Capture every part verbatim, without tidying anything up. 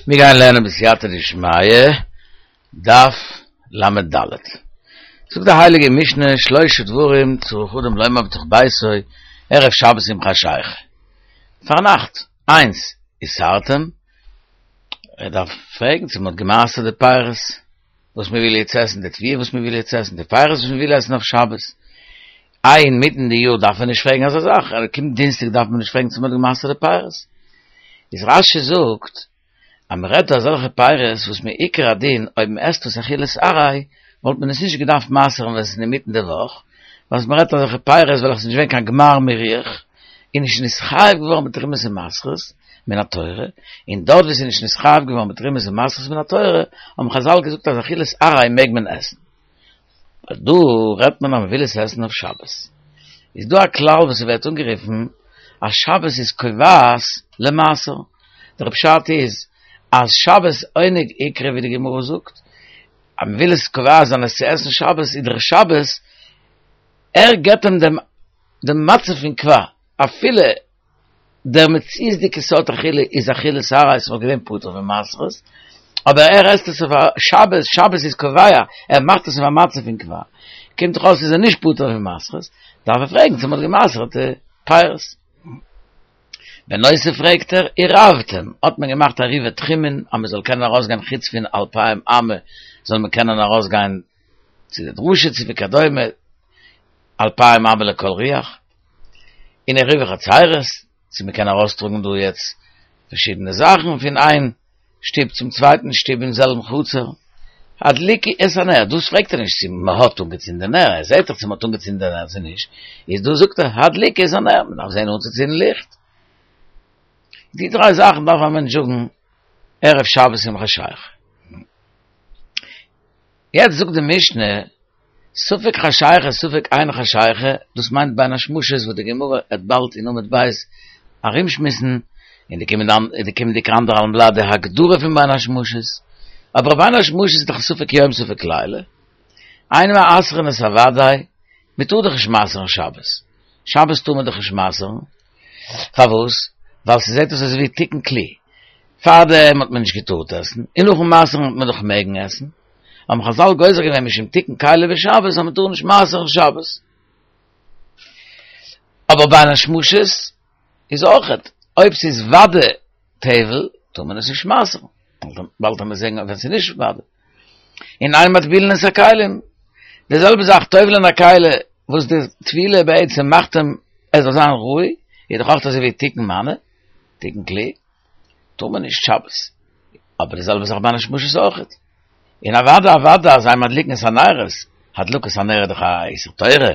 מיר גייען לערנען בסייעתא דשמיא, דף ל"ד. זאגט די הייליגע משנה, שלשה דברים צריך אדם לומר בתוך ביתו, ערב שבת עם חשיכה. פארנאכט, איינס, עשרתם, ער דארף פרעגן צו מ'האט געמעשר'ט די פירות וואס מ'וויל יעצט עסן, די תבואה וואס מ'וויל יעצט עסן, די פירות וואס מ'וויל עסן אויף שבת. איי אינמיטן די יאר דארף מען נישט פרעגן אזא זאך, ער קומט דינסטאג דארף מען נישט פרעגן צו מ'האט געמעשר'ט די פירות. איז רש"י זאגט אז מען רעדט דא אזעלכע פירות וואס מעיקר הדין אויב מען עסט עס אכילת עראי וואלט מען עס נישט געדארפט מעשר'ן ווען עס איז אינמיטן די וואך, ווייל מען רעדט אזעלכע פירות וועלכע איז נישט געווען קיין גמר מירוח און נישט נתחייב געווארן בתרומות ומעשרות מן התורה, און דארט וואו עס איז נישט נתחייב געווארן בתרומות ומעשרות מן התורה האבן חז"ל געזאגט אז אכילת עראי מעג מען עסן. דא רעדט מען אז מען וויל עס עסן אויף שבת. איז דא א כלל וואס ס'ווערט אנגערופן אז שבת איז קובעת למעשר. דער פשט איז אז שבת עונג איקרי ווי די גמרא זאגט, אז מען וויל עס קובע זיין עס צו עסן שבת איז דער שבת ער געבט אים דעם דעם מצב פון קבע אפילו דער מציאות'דיגע סארט אכילה איז אכילת עראי ס'וואלט געווען פטור פון מעשרות, אבער ער עסט עס אויף א שבת, שבת איז קובע, ער מאכט עס אויף א מצב פון קבע, קומט דאך אויס איז ער נישט פטור פון מעשרות, דארף ער פרעגן צו מ'האט גע'מעשר'ט די פירות. בנוסף פרעגט ער, עירבתם, האט מען געמאכט עירובי תחומין אז מ'זאל קענען ארויסגיין חוץ פון אלפיים אמה זאל מען קענען ארויסגיין צו די דרשה צו וכדומה, אלפיים אמה לכל רוח, און עירובי חצירות, צו מען קען ארויסטראגן דא יעצט פארשידענע זאכן פון איין שטוב צום צווייטן שטוב אין זעלבן חצר, הדליקו את הנר, דאס פרעגט ער נישט צו מען האט אנגעצינדען נר, ער זעט דאך צו מען האט אנגעצינדען נר צו נישט, איז דא זאגט ער הדליקו את הנר, מען דארף זען אנצוצינדן ליכט. די דריי זאכן דארף א מענטש זאגן ערב שבת עם חשיכה. יעצט זאגט די משנה, ספק חשיכה ספק אין חשיכה, דאס מיינט בין השמשות וואס די גמרא וועט באלד אין עמוד ב' ארומשמועסן, אין די קומענדיגע אנדערהאלבן בלאט די הגדרה פון בין השמשות, אבער בין השמשות איז דאך ספק יום ספק לילה, אין מעשרין את הוודאי, מען טאר דאך נישט מעשר'ן שבת, שבת טאר מען דאך נישט מעשר'ן, פארוואס? ווייל ס'זעט אויס אזויווי תיקון כלי, פארדעם האט מען נישט געטארט עסן, און נאכן מעשר'ן האט מען דאך מעגן עסן, האבן חז"ל גוזר געווען משום תיקון כלי בשבת אז מען טאר נישט מעשר'ן שבת. אבער בין השמשות איז אויכעט, אויב ס'איז ודאי טבל טאר מען עס נישט מעשר'ן, באלד וועט מען זען ווען ס'איז נישט ודאי. און אין מטבילין את הכלים, די זעלבע זאך טובל'ען א כלי וואס די טבילה בעצם מאכט אים ער זאל זיין ראוי, איז דאך אויך אזוי ווי תיקון מנא, תיקון כלי. טאר מען נישט שבת, אבער די זעלבע זאך בין השמשות אויכעט, און אוודאי אוודאי אז אין מדליקין את הנרות, הדלקת הנר איז דאך א איסור תורה,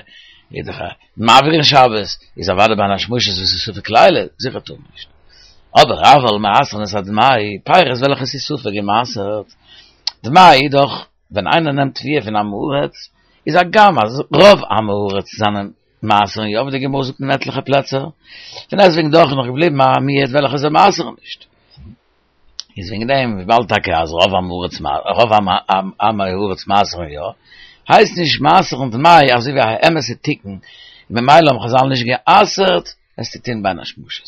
איז דאך א מעביר אין שבת, איז אוודאי בין השמשות וואס איז ספק לילה, זיכער טאר מען נישט. אבער אבל מעשרין את הדמאי, פירות וועלכע ס'איז ספק געמעשרט, דמאי איז דאך ווען איינער נעמט תבואה פון עם הארץ, איז הגם אז רוב עם הארץ זענען מעשר'ן יא ווי די גמרא זאגט אין עטליכע פלעצער, פון דעסטוועגן דאך איז נאך געבליבן א מיעוט וועלכע זיי מעשר'ן נישט. איז וועגן דעם וויבאלד טאקע אז רוב עם הארץ רוב עמי הארץ מעשר'ן יא, הייסט נישט מעשר'ן דמאי אזוי ווי א אמת'ע תיקון, ממילא האבן חז"ל נישט גע'אסר'ט עס צו טון בין השמשות.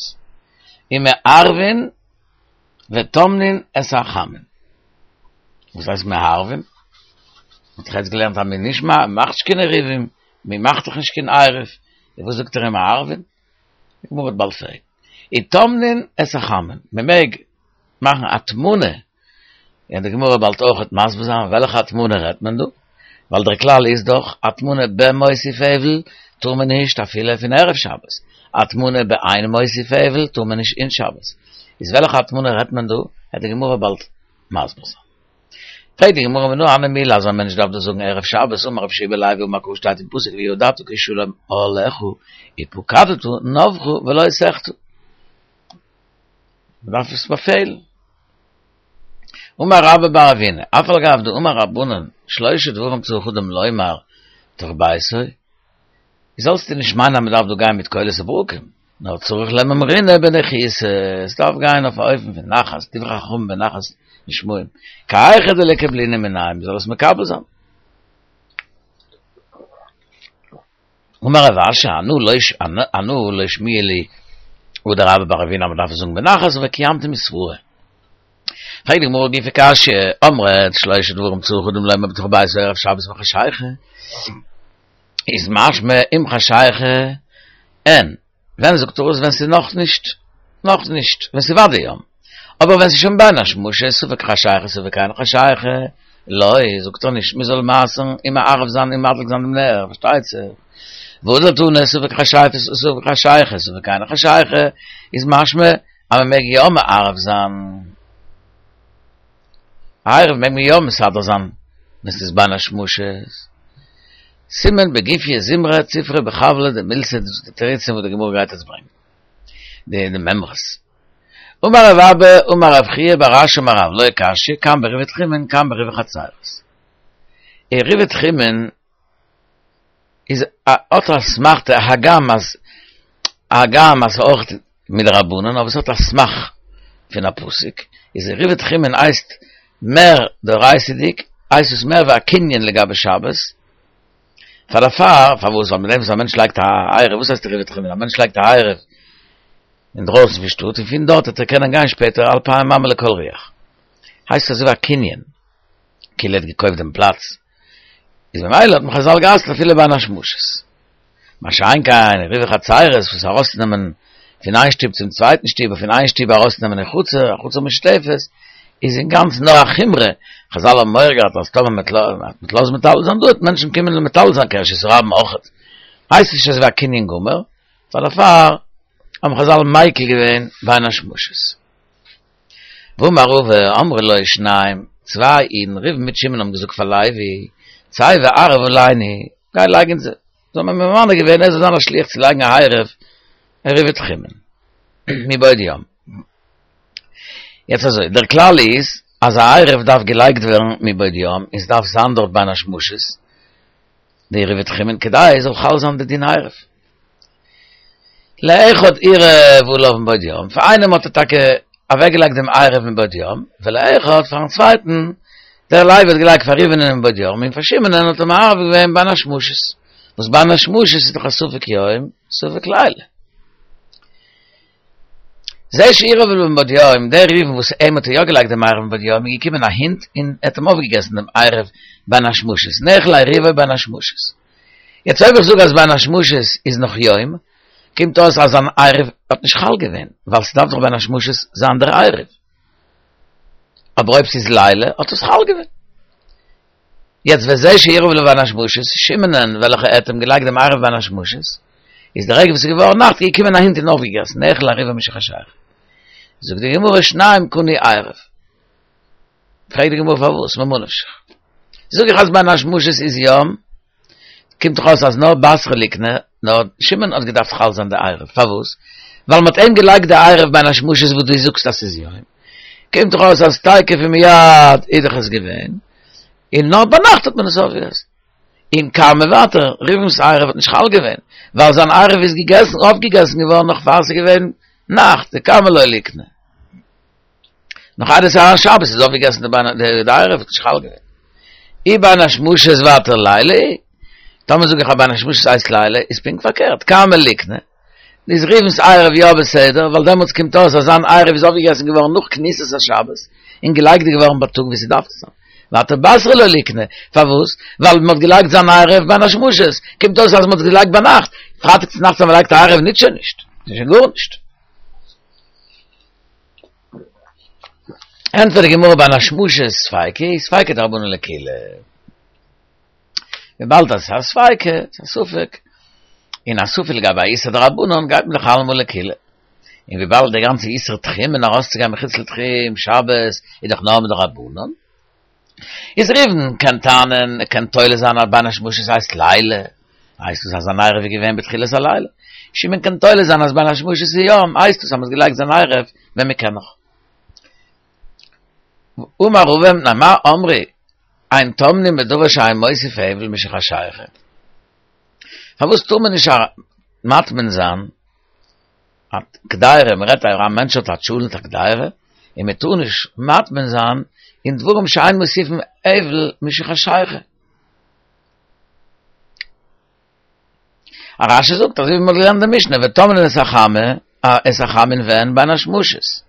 ומערבין וטומנין את החמין. וואס הייסט מערבין? מ'האט דאך יעצט געלערנט אז מען נישט מאכט נישט קיין עירובין, מען מאכט דאך נישט קיין עירוב, און וואס זאגט ער ומערבין? די גמרא וועט באלד פרעגן. וטומנין את החמין, מען מעג מאכן הטמנה, און די גמרא באלד אויכעט מסביר זיין וועלכע הטמנה רעדט מען דא, ווייל דער כלל איז דאך הטמנה במוסיף הבל טאר מען נישט אפילו פון ערב שבת, הטמנה באין מוסיף הבל טאר מען נישט אין שבת, איז וועלכע הטמנה רעדט מען דא, וועט די גמרא באלד מסביר זיין. פרעגט די גמרא מנא הני מילי אז א מענטש דארף דאס זאגן ערב שבת, אמר רבי יהושע בן לוי אמר קרא שטייט אין פסוק וידעת כי שלום אהלך ופקדת נוך ולא תחטא. מען דארף עס באפעלן. אמר רבה בר אבינא, אף על גב דאמור רבנן, שלשה דברים צריך אדם לומר בתוך ביתו, זאלסטו נישט מיינען אז מען דארף דא גיין מיט קולות וברקים, נאר צריך למימרינהו בניחותא, עס דארף גיין אויף א אופן פון נחת, דברי חכמים בנחת נשמעים, כי היכי דליקבלינהו מינייהו, מען זאל עס מקבל זיין. אמר רב אשי, אנא לא אנא לא שמיע לי הא דרבה בר אבינא אז מען דארף עס זאגן בנחת, אבער קיימתי מסברא. פרעגט די גמרא גופא קשיא, אמרת שלושה דברים צריך אדם לומר בתוך ביתו ערב שבת בחשיכה, איז משמע עם חשיכה אין, ווען זאגט ער עס ווען ס'איז נאך נישט, נאך נישט, ווען ס'איז ודאי יום, אבער ווען ס'איז שוין בין השמשות ספק חשיכה ספק אין חשיכה, לא, זאגט ער נישט מ'זאל מסר'ן און מערב זיין און מדליק זיין דעם נר, פארשטייט זיך, והדר תני ספק חשיכה ספק חשיכה ספק אין חשיכה, איז משמע אז מ'מעג יא מערב זיין. עירוב מעג מען יא מסדר זיין ווען ס'איז בין השמשות. סימן בגופיא זמרא ציפרא בחבלא דמילתא דאס איז די תירוצים וואס די גמרא גייט יעצט ברענגען. די די מימרות. אמר רב אבא אמר רב חייא בר אשי אמר רב לא קשיא כאן בעירובי תחומין כאן בעירובי חצירות. עירובי תחומין איז האט א אסמכתא הגם אז הגם אז ס'אויך מדרבנן אבער ס'האט א סמך פון א פסוק איז עירובי תחומין הייסט מער דאורייתא'דיג הייסט עס מער ווי א קנין לגבי שבת פאר דערפאר פארוואס ווייל מיט דעם וואס א מענטש לייגט א עירוב וואס הייסט עירובי תחומין א מענטש לייגט א עירוב אינדרויסן פון שטאט און פון דארט וועט ער קענען גיין שפעטער אלפיים אמה לכל רוח הייסט עס אזוי ווי א קנין כאילו ער האט געקויפט דעם פלאץ איז ממילא האט מען חזל גע'אסר'ט אפילו בין השמשות. מה שאין כן עירובי חצירות וואס ארויסנעמען פון איין שטוב צום צווייטן שטוב און פון איין שטוב ארויסנעמען אין חצר, א חצר משותפת, איז אינגאנצן נאר א חומרא, חזל האבן מורא געהאט אז טאמער מ'וועט לאזן מטלטל זיין דא וועט מענטשן קומען און מטלטל זיין כרשות הרבים אויכעט, הייסט נישט אזויווי א קנין גמור, פאר דערפאר האבן חזל מיקל געווען בין השמשות. ואמר רבא, אמרו לו שניים, צוויי אידן, ראובן מיט שמעון האבן געזאגט פאר לוי, צא וערב עלינו, גיי לייג אונז, זיי האבן אים ממנה געווען ער זאל זיין א שליח צו לייגן א עירוב, עירובי תחומין, מבעוד יום. יעצט אזוי, דער כלל איז אז א עירוב דארף געלייגט ווערן מבעוד יום, און ס'דארף זיין דארט בין השמשות, די עירובי תחומין, כדי עס זאל חל זיין די דין עירוב. לאחד עירב עליו מבעוד יום, פאר איינעם האט ער טאקע אוועקגעלייגט דעם עירוב מבעוד יום, ולאחד פארן צווייטן, דער לוי האט געלייגט פאר ראובנ'ען מבעוד יום, און פאר שמעונ'ען האט ער מערב געווען בין השמשות, וואס בין השמשות איז דאך א ספק יום, ספק לילה. זה שעירב עליו מבעוד יום, דער ראובן וואס אים האט ער יא געלייגט דעם עירוב מבעוד יום, איז געקומען א הונט און ער האט אים אויפגעגעסן דעם עירוב בין השמשות, נאכל עירובו בין השמשות. יעצט אויב איך זאג אז בין השמשות איז נאך יום, קומט אויס אז זיין עירוב האט נישט חל געווען, ווייל ס'דארף דאך בין השמשות זיין דער עירוב. אבער אויב ס'איז לילה האט עס חל געווען. יעצט וזה שעירב עליו בין השמשות, שמעונ'ען וועלכע ער האט אים געלייגט דעם עירוב בין השמשות, איז די רגע וואס ס'איז געווארן נאכט איז געקומען א הונט און אויפגעגעסן, נאכל עירובו משחשיכה. זאגט די גמרא שניים קנו עירוב. פרעגט די גמרא פארוואס, ממה נפשך. זאג איך אז בין השמשות איז יום, קומט דאך אויס אז נאר בתריה ליקני, נאר שמעון האט געדארפט חל זיין די עירוב, פארוואס? ווייל מ'האט אים געלייגט די עירוב בין השמשות וואס דו זאגסט אז ס'איז יום, קומט דאך אויס אז תיכף ומיד איז דאך עס געווען, און נאר ביינאכט האט מען עס אויפגעגעסן. און קמא ווייטער, ראובן'ס עירוב האט נישט חל געווען, ווייל זיין עירוב איז געגעסן אויפגעגעסן געווארן נאך פאר ס'איז געווען נאכט, דקמא לא ליקני. נאך איידער ס'איז אריין שבת איז אויפגעגעסן די בין די עירוב האט נישט חל געווען. אי בין השמשות ווייטער לילה, טאמער זאג איך אז בין השמשות הייסט לילה, איז פונקט פארקערט, קמא ליקני, איז ראובן'ס עירוב יא בסדר, ווייל דעמאלטס קומט אויס אז זיין עירוב איז אויפגעגעסן געווארן נאך כניסת השבת, און געלייגט געווארן בייטאג ווי ס'דארף צו זיין. ווייטער בתריה לא ליקני, פארוואס? ווייל מ'האט געלייגט זיין עירוב בין השמשות, קומט אויס אז מ'האט עס געלייגט ביינאכט, פרייטאג צונאכטס אז מ'לייגט א עירוב ניצט שוין נישט, ס'איז שוין גארנישט. ענטפערט די גמרא בין השמשות ספיקא, ספיקא דרבנן לקולא. וויבאלד אז עס איז א ספיקא, עס איז א ספק, און א ספק לגבי א איסור דרבנן גייט מען דאך אלעמאל לקולא. און וויבאלד די גאנצע איסור תחומין ארויסצוגיין מחוץ לתחום שבת איז דאך נאר מדרבנן, איז ראובן קען טענה'ן, ער קען תולה זיין אז בין השמשות הייסט לילה, הייסט עס אז זיין עירוב איז געווען בתחילת הלילה. שמעון קען תולה זיין אז בין השמשות איז יום, הייסט עס אז מ'האט געלייגט זיין עירוב ווען מ'קען נאך. אמר רבא מפני מה אמרו אין טומנין בדבר שאין מוסיף הבל משחשיכה. פארוואס טאר מען נישט מטמין זיין א קדירה, מען רעדט א מענטש האט א טשולענט א קדירה, און מען טאר נישט מטמין זיין אין דברים שאין מוסיפין הבל משחשיכה. א רשי זאגט אזוי ווי מ'האט געלערנט די משנה וטומנין את החמה את החמין ווען בין השמשות.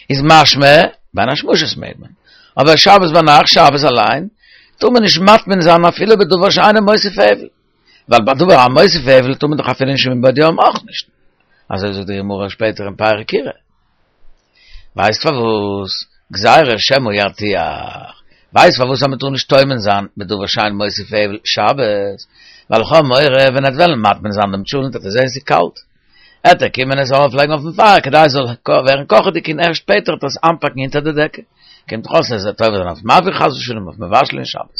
איז משמע, בין השמשות מעג מען. אבער שבת ביינאכט, שבת אליין, טאר מען נישט מטמין זיין אפילו בדבר שאינו מוסיף הבל. ווייל בדבר המוסיף הבל טאר מען דאך אפילו נישט מבעוד יום אויך נישט. אזוי זאגט די גמרא שפעטער אין פרק כירה. ווייסט פארוואס? גזירה שמא ירתיח. ווייסט פארוואס אז מען טאר נישט טומן זיין בדבר שאין מוסיף הבל שבת? ווייל איך האב מורא ווען ער וועט וועלן מטמין זיין דעם טשולענט וועט ער זען ס'איז קאלט. עט ער קומען עס ארויפלייגן אויפן פייער כדי עס זאל ווערן קאכעדיג און ערשט שפעטער עט ער עס איינפאקן אונטער די דעקע. קומט דאך אויס אז ער וועט עובר זיין אויף מבעיר חס ושלום אויף מבשל אין שבת.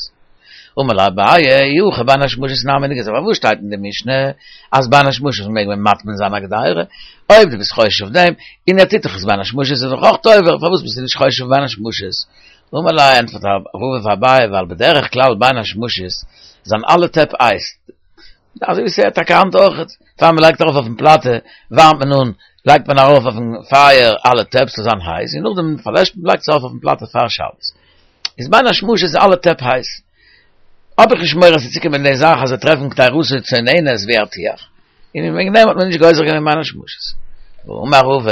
אמר ליה אביי, אי הכי בין השמשות נמי ניגזור, פארוואס שטייט אין די משנה אז בין השמשות מעג מען מטמין זיין א קדירה? אויב דו ביסט חושש אויף דעם, און ער טוט דאך עס בין השמשות איז דאך אויך עובר, פארוואס ביסטו נישט חושש אויף בין השמשות? אמר ליה, ענטפערט רבא פאר אביי, ווייל בדרך כלל בין השמשות זענען אלע טעפ הייס, אזוי ווי ס'איז טאקע היינט אויך, פאר מ'לייגט ארויף אויפן פלאטע, ווארעמט מען אן, לייגט מען ארויף אויפן פייער אלע טעפ ס'זאל זיין הייס, און נאכדעם פארלעשט מען, לייגט עס ארויף אויפן פלאטע פאר שבת. איז בין השמשות איז אלע טעפ הייס. האב איך נישט מורא ס'וועט צוקומען די זאך אז זיי טרעפן קדירתו צוננת וירתיח, און וועגן דעם האט מען נישט גוזר געווען בין השמשות. ואמר רבא,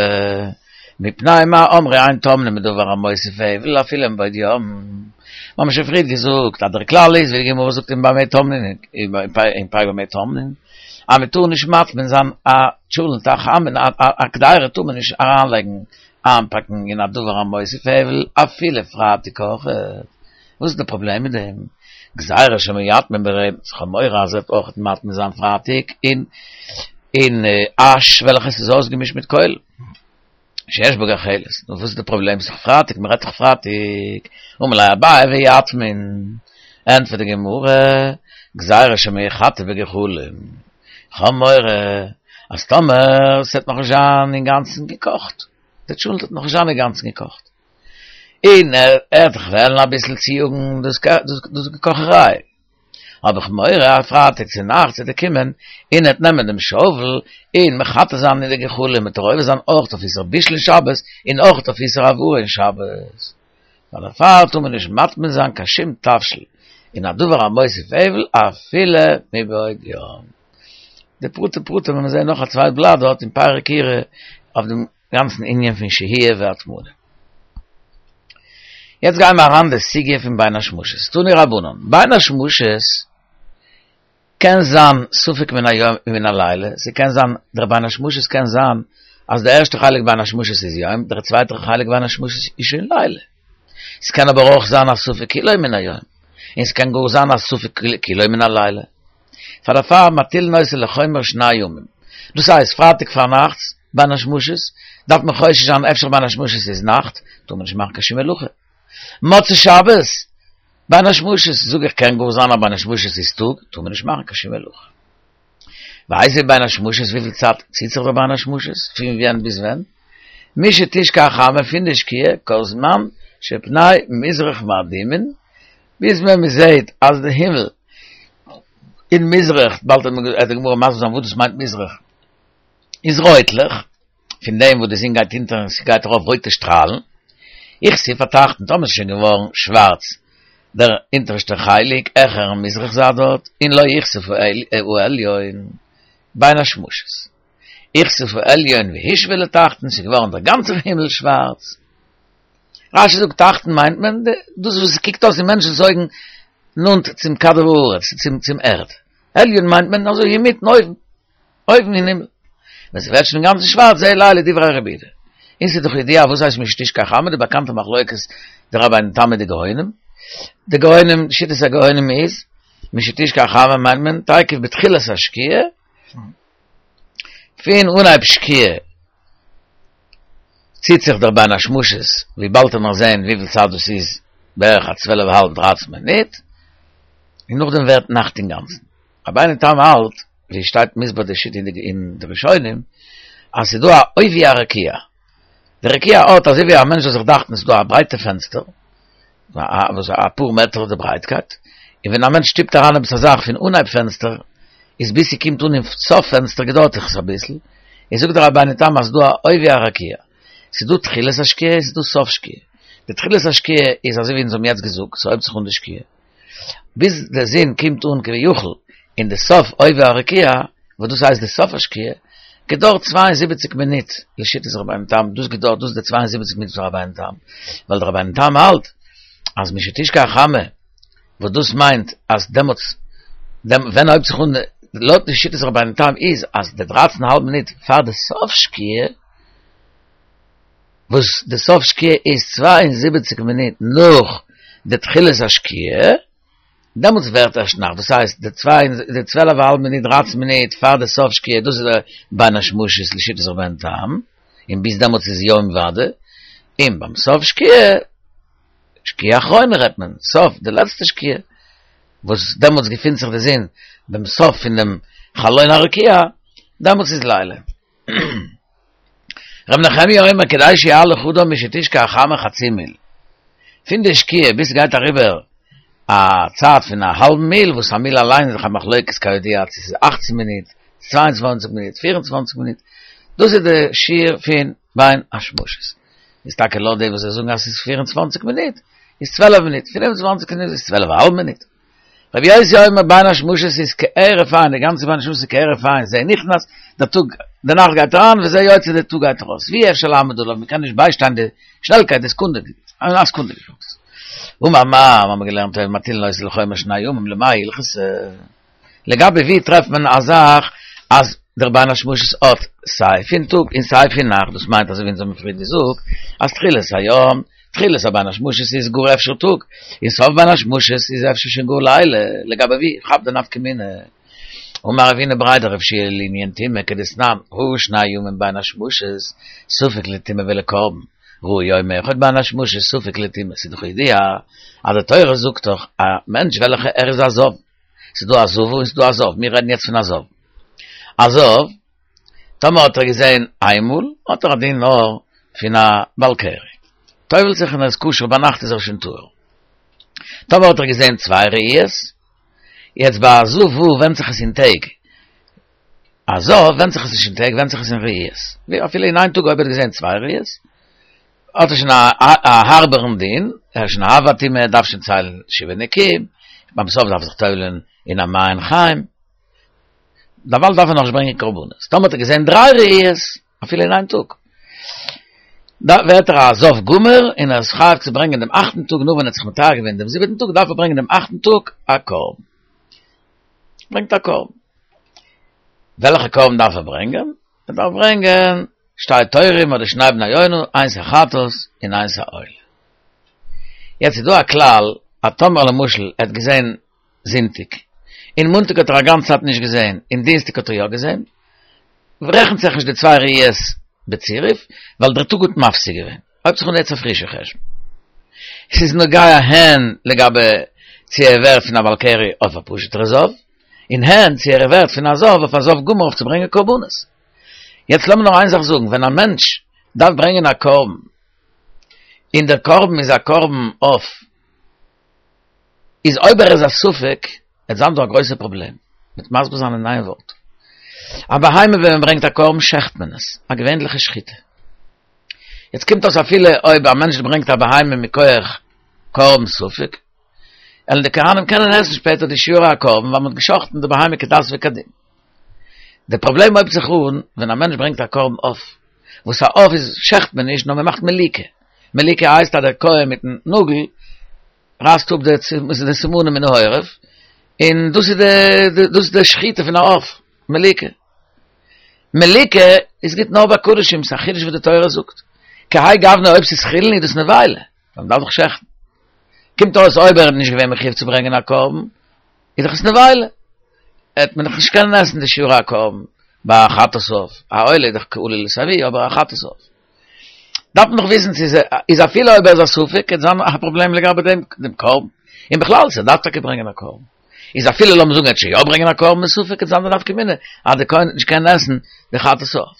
מפני מה אמרו אין טומנין בדבר המוסיף הבל אפילו מבעוד יום. מיר האבן שוין פריערט געזאגט אז דער כלל איז ווי די גמרא זאגט אין במה טומנין אין פרק במה טומנין אז מען טאר נישט מטמין זיין א טשולענט א חמין א קדירה טאר מען נישט אריינלייגן איינפאקן אין א דבר המוסיף הבל אפילו פרייטאג אויך. וואס איז די פראבלעם מיט דעם? גזירה שמא יטמין ברמץ, כ'האב מורא אז ער וועט אויך מטמין זיין פרייטאג אין אין אש וועלכעס איז אויסגעמישט מיט קוילן שיש בו גחלת, נו וואס איז די פראבלעם? ס'איז דאך פרייטאג, מ'רעדט דאך פרייטאג, אמר ליה אביי ויטמין, ענטפערט די גמרא, גזירה שמא יחתה בגחלים, כ'האב מורא אז טאמער ס'וועט נאכנישט זיין אינגאנצן געקאכט, די טשולנט וועט נאכנישט זיין אינגאנצן געקאכט, און ער וועט זיך וועלן אביסל צויאגן דאס געקאכעריי, האב איך מורא אז פרייטאג צו נאכטס וועט ער קומען און ער וועט נעמען דעם שאוול און מחתה זיין אין די גחלים, וועט ער עובר זיין אויך אויף איסור בישול אין שבת און אויך אויף איסור הבערה אין שבת. ווייל דערפאר טאר מען נישט מטמין זיין קיין שום תבשיל אין א דבר המוסיף הבל אפילו מבעוד יום. די פרטי פרטים וועלן מיר זעהן נאך א צווייט בלאט דארט אין פרק כירה אויף דעם גאנצן ענין פון שהייה והטמנה. יעצט גייען מיר אריין די סוגיא פון בין השמשות. תנו רבנן, בין השמשות קען זיין ספק מן היום ומן הלילה, ס'קען זיין, דער בין השמשות קען זיין אז די ערשטע חלק בין השמשות איז יום, דער צווייטער חלק בין השמשות איז שוין לילה. ס'קען אבער אויך זיין א ספק כולו מן היום, און ס'קען גאר זיין א ספק כולו מן הלילה. פאר דערפאר מטילין אותו לחומר שני ימים. דאס הייסט פרייטאג פארנאכטס בין השמשות, דארף מען חושש זיין אפשר בין השמשות איז נאכט, טאר מען נישט מאכן קיין שום מלאכה. מוצאי שבת בין השמשות, זאג איך קען גאר זיין אז בין השמשות איז טאג, טאר מען נישט מאכן קיין שום מלאכה. ואיזו בין השמשות וויפיל צייט ציט זיך דער בין השמשות, פון ווען ביז ווען? משתשקע החמה פון די שקיעה כל זמן שפני מזרח מאדימין, ביז ווען מען זעהט אז די הימל אין מזרח, באלד וועט די גמרא מסביר זיין וואס דאס מיינט מזרח, איז רויטליך, פון דעם וואס די זון גייט אונטער און ס'גייט ארויף רויטע שטראלן, הכסיף התחתון, טאמער ס'איז שוין געווארן שווארץ דער אונטערשטער חלק העכערן מזרח זייט דארט, און לא הכסיף העליון בין השמשות, הכסיף העליון והושווה לתחתון, ס'איז געווארן דער גאנצער הימל שווארץ. רשי זאגט תחתון מיינט מען דאס וואס עס קוקט אויס אין מענטשנ'ס אויגן נאנט צום כדור הארץ, צום ערד, עליון מיינט מען אזוי אינמיטן אויבן. אויבן אין הימל. ווען ס'ווערט שוין אינגאנצן שווארץ זה לילה דברי רבי יהודה. און ס'איז דאך ידוע וואס הייסט משתשקע החמה די באקאנטע מחלוקת די רבינו תם מיט די גאונים. די גאונים, שיטת הגאונים איז, משתשקע החמה מיינט מען תיכף בתחילת השקיעה, פון אנהייב שקיעה ציט זיך דער בין השמשות, ווי באלד וועט מען זען וויפיל צייט דאס איז, בערך א צוועלף אהאלב דרייצן מינוט, און נאכדעם ווערט נאכט אינגאנצן. רבינו תם האלט, ווי עס שטייט מוסבר די שיטה אין די ראשונים, אז ס'איז דא א עובי הרקיע. די רקיע האט, אזוי ווי א מענטש זאל זיך דאכטן, ס'איז דא א ברייטע פענסטער, וואס אפאר מעטער די ברייטקייט, און ווען א מענטש שטופט אריין עפעס א זאך פון אנהייב פענסטער, איז ביז ס'קומט אן אין סוף פענסטער געדויערט זיך עס אביסל, איז זאגט דער רבינו תם אז ס'איז דא א עובי הרקיע. ס'איז דא תחילת השקיעה און ס'איז דא סוף שקיעה. די תחילת השקיעה איז אזוי ווי אונז האבן יעצט געזאגט, ס'הויבט זיך אן די שקיעה. ביז די זון קומט אן כביכול אין די סוף עובי הרקיע, וואס דאס הייסט די סוף השקיעה, געדויערט צוויי און זיבעציק מינוט, לשיטת רבינו תם, דאס געדויערט, דאס איז די צוויי און זיבעציק מינוט פון רבינו תם, ווייל דער רבינו תם האלט אז משתשקע החמה, וואס דאס מיינט אז דעמאלטס, ווען הויבט זיך אן, לויט די שיטת רבינו תם איז אז די דרייצן א האלב מינוט פאר די סוף שקיעה, וואס די סוף שקיעה איז צוויי און זיבעציק מינוט נאך די תחילת השקיעה, דעמאלטס ווערט ערשט נאכט, דאס הייסט די צוויי די צוועלף א האלב מינוט דרייצן מינוט פאר די סוף שקיעה, דאס איז די בין השמשות לשיטת רבינו תם, און ביז דעמאלטס איז יום ודאי, און ביים סוף שקיעה, שקיעה אחרונה רעדט מען, סוף, די לעצטע שקיעה, וואס דעמאלטס געפינט זיך די זון ביים סוף פון דעם חלון הרקיע, דעמאלטס איז לילה. ר' נחמיה אומר כדי שיהלך אדם משתשקע החמה חצי מיל. פון די שקיעה ביז ס'גייט אריבער א צייט פון א האלבן מיל, וואס א מיל אליין איז דאך א מחלוקת כידוע צו ס'איז אַכצן מינוט, צוויי און צוואַנציק מינוט, פֿיר און צוואַנציק מינוט, דאס איז די שיעור פון בין השמשות. איז טאקע לויט די וואס זיי זאגן אז ס'איז פֿיר און צוואַנציק מינוט, איז צוועלף מינוט, פֿינף און צוואַנציק מינוט איז צוועלף א האלב מינוט. רבי יוסי אומר בין השמשות איז כהרף עין, די גאנצע בין השמשות איז כהרף עין, זה נכנס, דער טאג, די נאכט גייט אריין, וזה יוצא, דער טאג גייט ארויס, ואי אפשר לעמוד עליו, מען קען נישט ביישטיין די שנעלקייט, די סעקונדע, א סעקונדע געזאגט. אמר מר, האבן מיר געלערנט הוי מטילין אותו לחומר שני ימים, למאי הלכתא? לגבי ווי טרעפט מען א זאך אז דער בין השמשות האט סיי פון טאג און סיי פון נאכט, דאס מיינט אזוי ווי אונז האבן פריער געזאגט אז תחילת היום, תחילת הבין השמשות איז גאר אפשר טאג, און סוף בין השמשות איז אפשר שוין גאר לילה, לגבי ווי כאפט די נפקא מינה? אמר רב הונא בריה דרב יהושע לענין טומאה כדתנן, ראה שני ימים בין השמשות, ספק לטומאה ולקרבן, ראה יום אחד בין השמשות ספק לטומאה, ס'איז דאך ידוע אז די תורה זאגט דאך א מענטש וועלכע ער איז א זב, ס'איז דא א זבה און ס'איז דא א זב, מיר רעדן יעצט פון א זב. א זב, טאמער האט ער געזען איינמאל, האט ער א דין נאר פון א בעל קרי. טובל'ט זיך און ער איז כשר, ביינאכט איז ער שוין טהור. טאמער האט ער געזען צוויי ראיות, יעצט ביי א זבה ווענדט זיך עס אין טעג. א זב ווענדט זיך עס נישט אין טעג, ווענדט זיך עס אין ראיות. ווי אפילו אין איין טאג אויב ער האט געזען צוויי ראיות, האט ער שוין א הארבערן דין, ער איז שוין א אב הטומאה, ער דארף שוין ציילן שבעה נקיים, ביים סוף דארף ער זיך טובל'ען אין א מעיין חיים, דערווייל דארף ער נאכנישט ברענגען קרבנות. טאמער האט ער געזען דריי ראיות, אפילו אין איין טאג, ווערט ער א זב גמור, און ער איז חייב צו ברענגען דעם אכטן טאג, נאך ווען ער האט זיך מטהר געווען דעם זיבעטן טאג, דארף ער ברענגען דעם אכטן טאג א קרבן. ברענגט א קרבן. וועלכע קרבן דארף ער ברענגען? ער דארף ברענגען שתי תורים אדער שני בני יונה, איינס א חטאת און איינס א עולה. יעצט איז דא א כלל אז טאמער למשל ער האט געזען זונטאג, און מאנטאג האט ער א גאנצע צייט נישט געזען, און דינסטאג האט ער יא געזען, רעכנט זיך נישט די צוויי ראיות בצירוף, ווייל דער טאג האט מפסיק געווען. הויבט זיך אן יעצט א פרישע חשבון. ס'איז נוגע הן לגבי צו ער ווערט פון א בעל קרי אויף א פשוט'ער זב, און הן צו ער ווערט פון א זב אויף א זב גמור אויף צו ברענגען קרבנות. יעצט לאמיר נאר איין זאך זאגן, ווען א מענטש דארף ברענגען א קרבן, און דער קרבן איז א קרבן עוף, איז אויב ער איז א ספק, וועט זיין דא א גרויסע פראבלעם, מ'וועט מסביר זיין אין איין ווארט. א בהמה ווען מען ברענגט א קרבן שעכט מען עס, א געווענליכע שחיטה. יעצט קומט אויס אפילו אויב א מענטש ברענגט א בהמה מכח קרבן ספק, וועלן די כהנים קענען עסן שפעטער די שיורי הקרבן ווייל מען האט געשחט'ן די בהמה כדת וכדין. די פראבלעם הויבט זיך אן ווען א מענטש ברענגט א קרבן עוף, וואס א עוף איז שעכט מען נישט נאר מען מאכט מליקה, מליקה הייסט אז דער כהן מיטן נאגל רייסט אפ די סימנים מן העורף, און דאס איז די דאס איז די שחיטה פון א עוף, מליקה. מליקה איז גוט נאר ביי קדשים, ס'איז א חידוש וואס די תורה זאגט. כהאי גוונא אויב ס'איז חולין איז דאס נבילה, ווייל מ'דארף דאך שעכטן. קומט אויס אויב ער איז נישט געווען מחויב צו ברענגען א קרבן, איז דאך עס נבילה. העט מען דאך נישט קענען עסן די שיורי הקרבן ביי א חטאת עוף, א עולה איז דאך כעלו לתבואה, אבער א חטאת עוף. דארף מען דאך וויסן צו איז אפילו אויב ער איז א ספק, קען זיין א פראבלעם לגבי דעם דעם קרבן. און בכלל צו ער דארף טאקע ברענגען א קרבן. איז אפילו לאמיר זאגן ער וועט שוין יא ברענגען א קרבן מספק, קען זיין די נפקא מינה אז די כהן וועט נישט קענען עסן די חטאת עוף.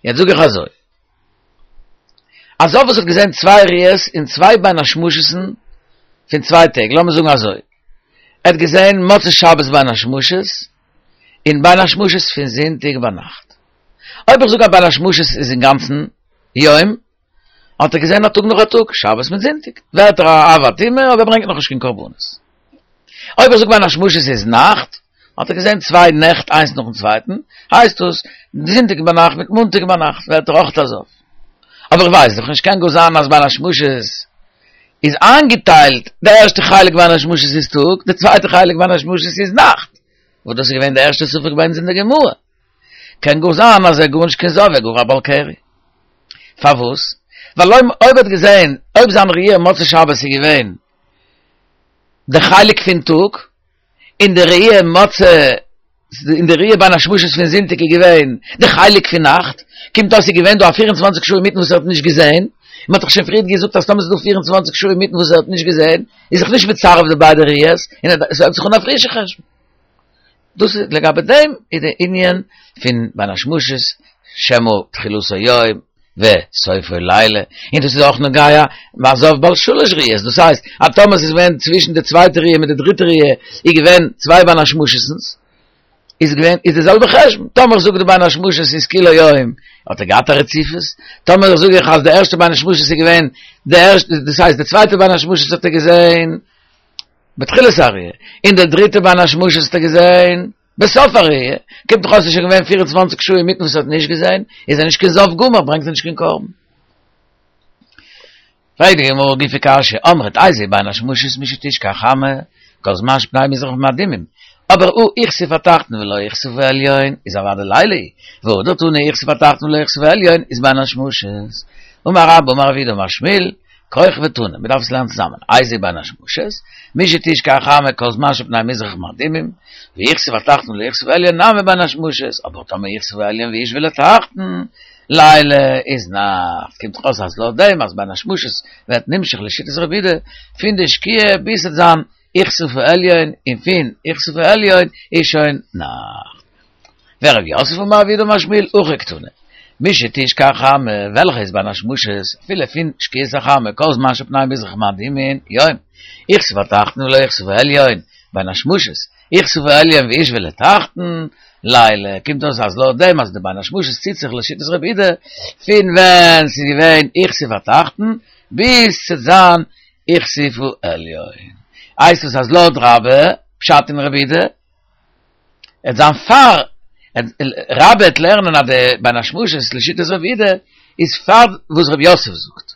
יעצט זאג איך אזוי. א זב וואס האט געזען צוויי ראיות אין צוויי בין השמשות'ן פון צוויי טעג, לאמיר זאגן אזוי, ער האט געזען מוצאי שבת בין השמשות און בין השמשות פון זונטאג ביינאכט. אויב איך זאג אז בין השמשות איז אינגאנצן יום, האט ער געזען א טאג נאך א טאג, שבת מיט זונטאג, ווערט ער א אב הטומאה אבער ער ברענגט נאכנישט קיין קרבנות. אויב איך זאג בין השמשות איז נאכט, האט ער געזען צוויי נעכט איינס נאכן צווייטן, הייסט דאס, זונטאג ביינאכט מיט מאנטאג ביינאכט ווערט ער אויך א זב. אבער איך ווייס דאך נישט, קען גאר זיין אז בין השמשות איז איינגעטיילט, די ערשטע חלק בין השמשות איז טאג, די צווייטע חלק בין השמשות איז נאכט. וואס דאס איז געווען די ערשטע ספק ביי אונז אין די גמרא. קען גאר זיין אז ער איז גארנישט קיין זב, ער איז גאר א בעל קרי. פארוואס? ווייל אויב אויב ער האט געזען, אויב זיין ראי' מוצאי שבת איז געווען די חלק פון טאג, און די ראי' מוצאי, און די ראי' בין השמשות פון זונטאג איז געווען די חלק פון נאכט, קומט אויס ס'איז געווען דא א פֿיר און צוואַנציק שעה אינמיטן וואס ער האט נישט געזען, און מ'האט דאך שוין פריערט געזאגט אז טאמער ס'איז דא פֿיר און צוואַנציק שעה אינמיטן וואס ער האט נישט געזען, איז זיך נישט מצרף די ביידע ראיות, און עס הייבט זיך אן א פרישע חשבון. דאס איז לגבי דעם איז די ענין פון בין השמשות שמא תחילתו יום וסופו לילה, און דאס איז אויך נוגע ביי זב בעל שלש ראיות, דאס הייסט אז טאמער ס'איז געווען צווישן די צווייטע ראיה מיט די דריטע ראיה איז געווען צוויי בין השמשות'נס, איז געווען איז די זעלבע חשבון, טאמער זאג די בין השמשות איז כולו יום האט ער געהאט א רציפות, טאמער זאג איך אז די ערשטע בין השמשות איז געווען די ערשטע, דאס הייסט די צווייטע בין השמשות האט ער געזען בתחילת הראייה, און די דריטע בין השמשות האט ער געזען בסוף הראייה, קומט דאך אויס ס'איז שוין געווען פֿיר און צוואַנציק שעה אינמיטן וואס ער האט נישט געזען, איז ער נישט קיין זב גמור, ברענגט ער נישט קיין קרבן. פרעגט די גמרא גופא קשיא, אמרת איזוהי בין השמשות משתשקע החמה, כל זמן שפני מזרח מאדימים, אבער הא הכסיף התחתון ולא הכסיף העליון איז אוודאי לילה הוא, והדר תני הכסיף התחתון ולא הכסיף העליון איז בין השמשות. אמר רבה אמר רב יהודה אמר שמואל, כרך ותנא, מ'דארף עס לערנען צוזאמען, איזוהי בין השמשות, משתשקע החמה כל זמן שפני מזרח מאדימים, והכסיף התחתון ולא הכסיף העליון נמי בין השמשות, אבער טאמער הכסיף העליון והשוה לתחתון, לילה איז נאכט, קומט דאך אויס אז לויט דעם אז בין השמשות ווערט נמשך לשיטת רבי יהודה פון די שקיעה ביז ס'וועט זיין הכסיף העליון און פון הכסיף העליון איז שוין נאכט. ורב יוסף אמר רב יהודה אמר שמואל הכי קתני משתשקע החמה וועלכע איז בין השמשות אפילו פון שקיעת החמה כל זמן שפני מזרח מאדימין יום הכסיף התחתון ולא הכסיף העליון בין השמשות הכסיף העליון והשוה לתחתון לילה קומט אויס אז לויט דעם אז די בין השמשות ציט זיך לשיטת רבי יהודה פון ווען ס'איז געווען הכסיף התחתון ביז ס'וועט זיין הכסיף העליון הייסט עס אז לויט רבה פשט אין רבי יהודה עט זיין פאר רבה עט לערנען אז די בין השמשות לשיטת רבי יהודה איז פאר וואס רב יוסף זאגט.